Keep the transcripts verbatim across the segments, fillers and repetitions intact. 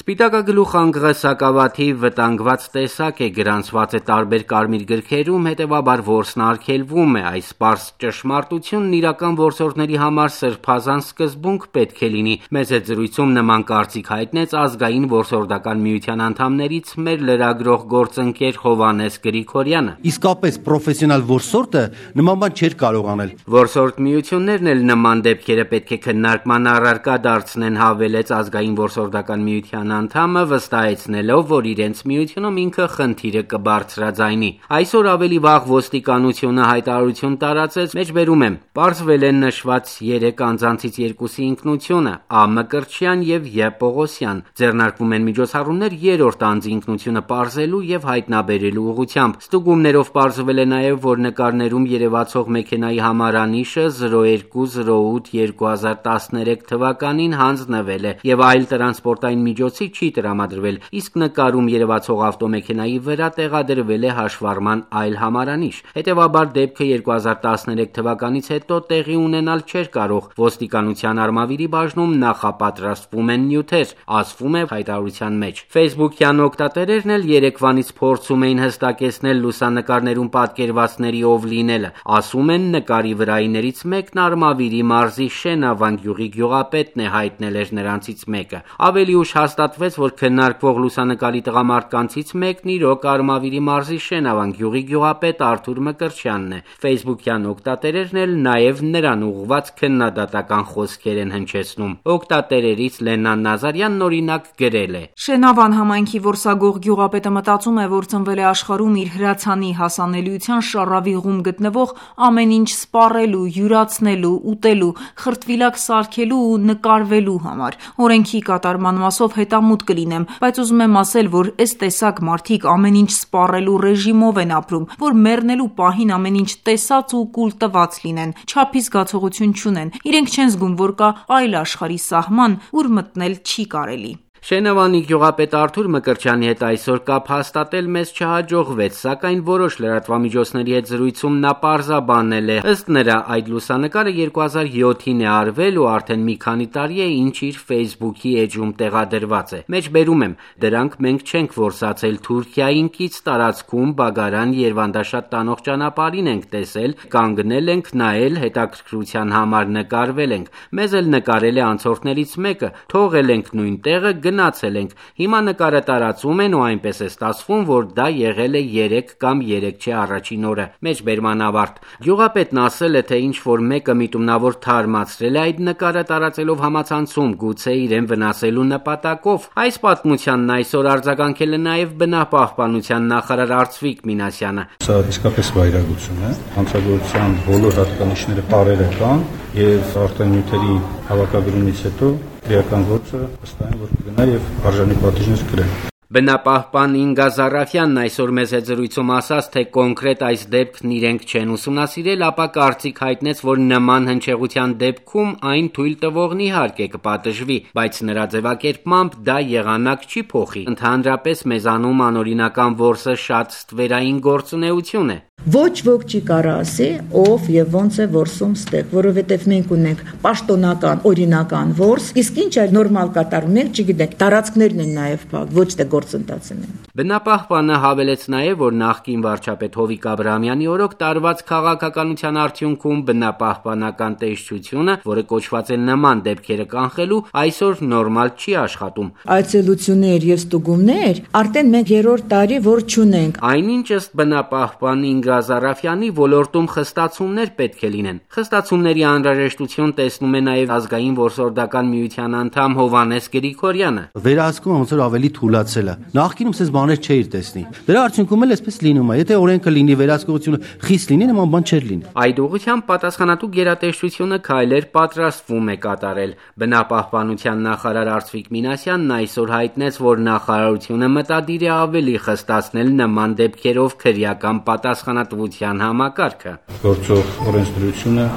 Սպիտակագլուխ անգղը սակավաթիվ վտանգված տեսակ է, գրանցված է տարբեր կարմիր գրքերում, հետևաբար որսն արգելվում է։ Այս պարզ ճշմարտությունն իրական որսորդների համար սրբազան սկզբունք պետք է լինի։ Մեծ հետ զրույցում նման կարծիք հայտնեց Ազգային որսորդական միության անդամներից մեր լրագրող գործընկեր Հովհաննես Գրիգորյանը։ Իսկապես պրոֆեսիոնալ որսորդը նման բան չէր կարող անել։ Որսորդ միություններն էլ նման դեպքերը պետք է քննարկման առարկա դարձնեն, հավելեց Ազգային որսորդական միության անդամը, վստահեցնելով, որ իրենց միությունում ինքը խնդիրը կբարձրաձայնի։ Այսօր ավելի վաղ ոստիկանությունը հայտարարություն տարածեց, մեջբերում եմ, պարզվել է նշված երեք անձանցից երկուսի ինքնությունը՝ Ա. Մկրտչյան եւ Ե. Պողոսյան։ Ձեռնարկվում են միջոցառումներ երրորդ անձի ինքնությունը պարզելու եւ հայտնաբերելու ուղղությամբ։ Ստուգումներով պարզվել է նաեւ, որ նկարներում երևացող մեքենայի համարանիշը զրո երկու զրո ութ երկու հազար տասներեք թվականին հանձնվել է եւ այլ տրանսպորտային միջոցի չի տրամադրվել, իսկ նկարում երևացող ավտոմեքենայի վրա տեղադրվել է հաշվառման այլ համարանիշ։ Հետևաբար դեպքը երկու հազար տասներեք թվականից հետո տեղի ունենալ չէր կարող։ Ոստիկանության Արմավիրի բաժնում նախապատրաստվում են նյութեր, ասվում է հայտարարության մեջ։ Facebook-յան օգտատերերն էլ երեկվանից փորձում էին հստակեցնել լուսանկարներում պատկերվածների ով լինելը։ Ասում են, նկարի վրայիներից մեկն Արմավիրի մարզի Շենավան գյուղի գյուղապետն է, հայտնել էր նրանցից մեկը։ Ավելի ուշ հաստատվեց, որ քննարկվող լուսանկարի տղամարդկանցից մեկն իրոք Արմավիրի մարզի Շենավան գյուղի գյուղապետ Արթուր Մկրտչյանն է։ Facebook-յան օգտատերերն էլ նաև նրան ուղղված քննադատական խոսքեր են հնչեցնում։ Օգտատերերից Լենան Նազարյանն օրինակ գրել է. Շենավան համայնքի որսագող գյուղապետը մտածում է, որ ծնվել է աշխարհում իր հրացանի հասանելիության շառավիղում գտնվող ամեն ինչ սպառելու, յուրացնելու, ուտելու, խրտվիլակ սարքելու ու նկարվելու համար։ Օրենքի կատարման մասով հետամուտ կլինեմ, բայց ուզում եմ ասել, որ այս տեսակ մարդիկ ամեն ինչ սպառելու ռեժիմով են ապրում, որ մեռնելու պահին ամեն ինչ տեսած ու կուլ տված լինեն, չափի զգացողություն չունեն, իրենք չեն զգում, որ կա այլ աշխարհի սահման, ուր մտնել չի կարելի։ Շենավանի գյուղապետ Արթուր Մկրտչյանի հետ այսօր կապ հաստատել մեզ չհաջողվեց, սակայն որոշ լրատվամիջոցների հետ զրույցում նա պարզաբանել է, ըստ նրա այդ լուսանկարը երկու հազար յոթին է արվել ու արդեն մի քանի տարի է ինչ իր Facebook-ի էջում տեղադրված է։ Մեջբերում եմ, դրանք մենք չենք որսացել, Թուրքիային կից տարածքում Բագարան Երվանդաշատ տանող ճանապարհին ենք տեսել, կանգնել ենք, նայել, հետաքրքրության համար նկարվել ենք։ Մեզ էլ նկարել է անցորդներից մեկը, թողել ենք նույն տեղը, գնացել ենք։ Հիմա նկարը տարածում են ու այնպես է ստացվում, որ դա եղել է երեք կամ երեք չէ առաջին օրը։ Մեջբերման ավարտ։ Գյուղապետն ասել է, թե ինչ որ մեկը միտումնավոր թարմացրել է այդ նկարը տարածելով համացանցում, գուցե իրեն վնասելու նպատակով։ Այս պատմությանն այսօր արձագանքել է նաև բնապահպանության նախարար Արծվիկ Մինասյանը։ Սա իսկապես վայրագություն է։ Հանցագործության բոլոր հատկանիշները պարերը կան եւ արտանյութերի հավաքագրումից հետո իրական գործը վստահ եմ, որ կգնա եւ արժանի պատիժներ կրեն։ Բնապահպան Ինգա Զարաֆյանն այսօր մեզ հետ զրույցում ասաց, թե կոնկրետ այս դեպքն իրենք չեն ուսումնասիրել, ապա կարծիք հայտնեց, որ նման հնչեղության դեպքում այն թույլ տվողն իհարկե կպատժվի, բայց նրա ձևակերպմամբ դա եղանակ չի փոխի։ Ընդհանրապես մեզանում անօրինական որսը շատ ստվերային գործունեություն է։ Ոչ ոք չի կարա ասի, ով եւ ոնց է որսում ստեղ, որովհետեւ մենք ունենք պաշտոնական, օրինական որս, իսկ ինչ այլ նորմալ կատարում, մենք չգիտենք, տարածքներն են նաեւ փակ, ոչ թե գործընթացն են։ Բնապահպանը հավելեց նաեւ, որ նախկին վարչապետ Հովիկ Աբրահամյանի օրոք տարված քաղաքականության արդյունքում բնապահպանական տեսչությունը, որը կոչված է նման դեպքերը կանխելու, այսօր նորմալ չի աշխատում։ Այցելություններ եւ ստուգումներ արդեն մենք երրորդ տարի որ չունենք։ Այնինչ ըստ բնապահպան Ինգա Զարաֆյանի ոլորտում խստացումներ պետք է լինեն։ Խստացումների անհրաժեշտություն տեսնում է նաև Ազգային որսորդական միության անդամ Հովհաննես Գրիգորյանը։ Վերահսկումը ոնց որ ավելի թուլացել է։ Նախկինում ցես բաներ չէիր տեսնի։ Դրա արդյունքում էլ այսպես լինում է։ Եթե օրենքը լինի, վերահսկողությունը խիստ լինի, նման բան չէր լինի։ Այդ ուղղությամբ պատասխանատու գերատեսչությունը քայլեր պատրաստվում է կատարել։ Բնապահպանության նախարար Արծվիկ Մինասյանն այսօր հայտնեց, որ նախարարությունը մտադիր է ավելի խստացնել նման դեպքերով քրեական պատասխանատվության համակարգը։ Գործող օրենսդրությունը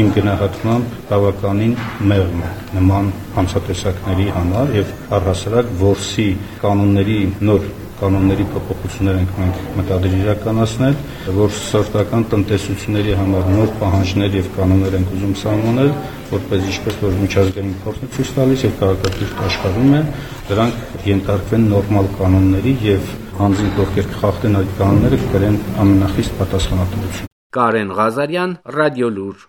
իմ գնահատմամբ բավականին մեղմ է նման հանցատեսակների համար եւ առհասարակ որսի կանոնների նոր կանոնների փոփոխություններ ենք մենք մտադիր իրականացնել, որ սրտական տնտեսությունների համար նոր պահանջներ եւ կանոններ ենք ուզում սահմանել, որպես ինչպես որ միջազգային փորձը ցույց տալիս եւ քաղաքակիրթ աշխարհում է, դրանք ենթարկվեն նորմալ կանոնների եւ հանձին ովքեր կխախտեն այդ կանոնները կկրեն ամենախիստ պատասխանատվություն։ Կարեն Ղազարյան, Ռադիոլուր։